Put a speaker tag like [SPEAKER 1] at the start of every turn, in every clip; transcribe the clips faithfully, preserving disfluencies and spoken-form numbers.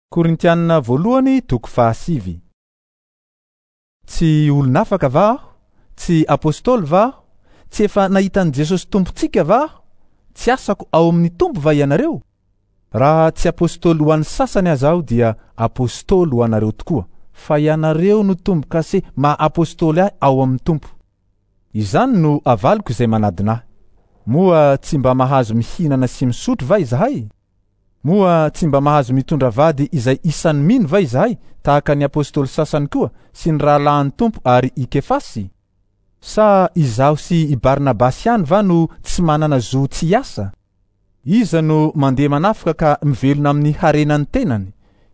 [SPEAKER 1] Korintianina voalohany toko fahasivy. Tsy olon'afaka va aho? Tsy apôstôly va aho? Tsy efa nahita an'i Jesosy Tompontsika va aho? Tsy asako ao amin'ny Tompo va ianareo? Raha tsy apôstôly ho an'ny sasany aza aho dia apôstôly ho anareo tokoa, fa ianareo no tombo-kase maha apôstôly ahy ao amin'ny Tompo. Izany no avaliko izay manadina ahy. Moa tsy mba mahazo mihinana sy misotro va izahay? Moa tsy mba mahazo mitondra vady izay isan'ny mino va izahay, tahaka ny apôstôly sasany koa sy ny rahalahin'ny Tompo ary i Kefasy? Sa izaho sy i Barnabasy ihany va no tsy manana zo tsy hiasa? Iza no mandeha manafika ka mivelona amin'ny harenan'ny tenany?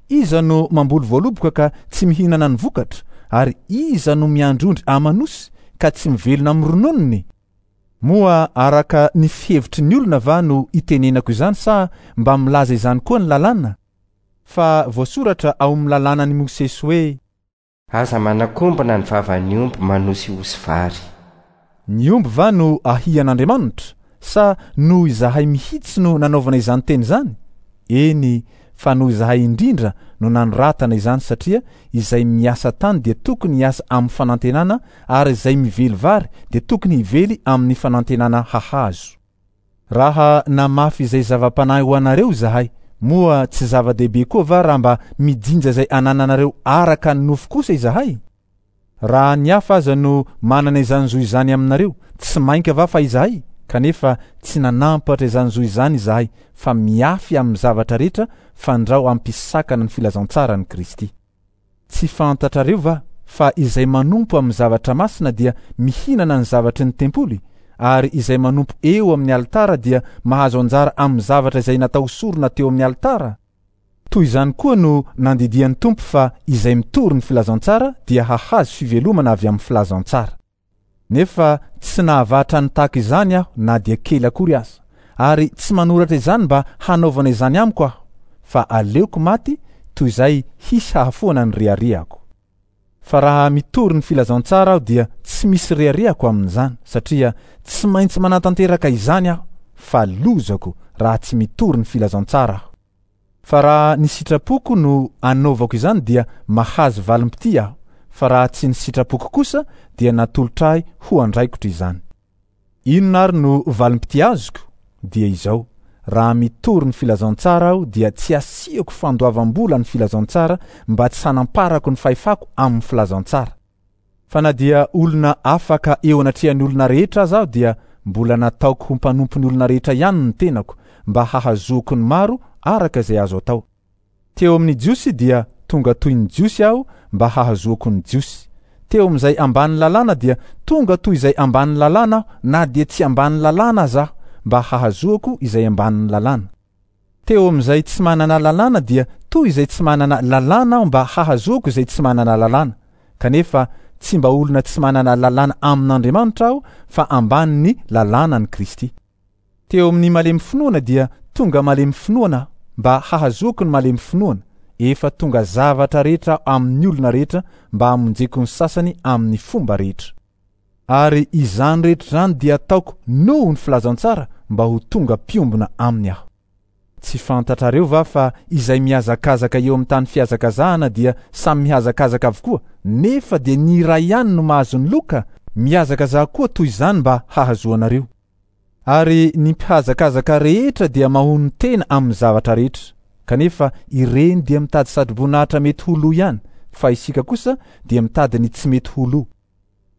[SPEAKER 1] Iza no mamboly voaloboka ka tsy mihinana ny vokatra? Ary iza no miandry ondry aman'osy ka tsy mivelona amin'ny rononony? Moa araka ny fihevitry ny olona va no itenenako izany sa mba milaza izany koa ny lalàna? Fa voasoratra ao amin'ny lalànan'i Mosesy hoe:
[SPEAKER 2] Aza manakombona ny vavan'ny omby manosihosy vary.
[SPEAKER 1] Ny omby va no ahian'Andriamanitra? Sa noho izahay mihitsy no nanaovana izany teny izany? Eny, fa noho izahay indrindra no nanoratana izany, satria izay miasa tany dia tokony hiasa amin'ny fanantenana, ary izay mively vary dia tokony hively amin'ny fanantenana hahazo. Raha namafy izay zava-panahy ho anareo izahay, moa tsy zava-dehibe koa va raha mba mijinja izay anananareo araka ny nofo kosa izahay? Raha ny hafa aza no manana izany zo izany aminareo, tsy mainka va fa izahay? Kanefa tsy nanampatra izany zo izany izahay, fa miafy amin'ny zavatra rehetra fandrao hampisakana ny filazantsaran'i Kristy. Tsy fantatrareo va fa izay manompo amin'ny zavatra masina dia mihinana ny zavatry ny tempoly, ary izay manompo eo amin'ny alitara dia mahazo anjara amin'ny zavatra izay natao sorona teo amin'ny alitara? Toy izany koa no nandidian'ny Tompo fa izay mitory ny filazantsara dia hahazo fivelomana avy amin'ny filazantsara. Nefa tsy nahavatra ny tahaka izany aho na dia kely akory aza, ary tsy manoratra izany mba hanaovana izany amiko aho, fa aleoko maty toy izay hisy hahafoana ny reharehako. Fa raha mitory ny filazantsara aho dia tsy misy reharehako amin'izany, satria tsy maintsy manatanteraka izany aho, fa lozako raha tsy mitory ny filazantsara aho. Fa raha ny sitrapoko no anaovako izany dia mahazo valim-pitia aho, fa raha tsy ny sitrapoko kosa dia natolotra ahy ho andraikitra izany. Inona ary no valim-pitia azoko? Dia izao: raha mitory ny filazantsara aho dia tsy asiako fandoavam-bola ny filazantsara mba tsy hanamparako ny fahefako amin'ny filazantsara. Fa na dia olona afaka eo anatrehan'ny olona rehetra aza aho dia mbola nataoko ho mpanompon'ny olona rehetra ihany ny tenako mba hahazoako ny maro araka izay azo atao. Teo amin'ny Jiosy dia tonga toy ny Jiosy aho mba hahazoako ny Jiosy. Teo amin'izay ambany lalàna dia tonga toy izay ambany lalàna aho na dia tsy ambany lalàna aza aho mba hahazoako izay ambanin'ny lalàna. Teo amin'izay tsy manana lalàna dia toy izay tsy manana lalàna aho mba hahazoako izay tsy manana lalàna. Kanefa tsy mba olona tsy manana lalàna amin'Andriamanitra aho fa ambanin'ny lalànan'i Kristy. Teo amin'ny malemy finoana dia tonga malemy finoana aho mba hahazoako ny malemy finoana. Efa tonga zavatra rehetra amin'ny olona rehetra mba hamonjeko ny sasany amin'ny fomba rehetra. Ary izany rehetra izany dia ataoko noho ny filazantsara mba ho tonga mpiombona aminy aho. Tsy fantatrareo va fa izay mihazakazaka eo amin'ny tany fihazakazahana dia samy mihazakazaka avokoa, nefa dia ny iray ihany no mahazo ny loka? Mihazakazaha koa toy izany mba hahazoanareo. Ary ny mpihazakazaka rehetra dia mahono tena amin'ny zavatra rehetra, kanefa ireny dia mitady satroboninahitra mety ho lo ihany, fa isika kosa dia mitady ny tsy mety ho lo.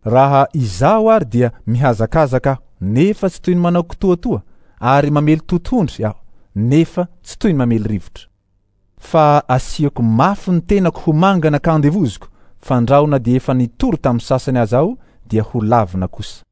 [SPEAKER 1] Raha izaho ary dia mihazakazaka aho, nefa tsy toy ny manao kitoatoa, ary mamely totohondry aho, nefa tsy toy ny mamely rivotra. Fa asiako mafy ny tenako ho mangana ka andevoziko, fandrao na dia efa nitory tamin'ny sasany aza aho dia ho lavina kosa.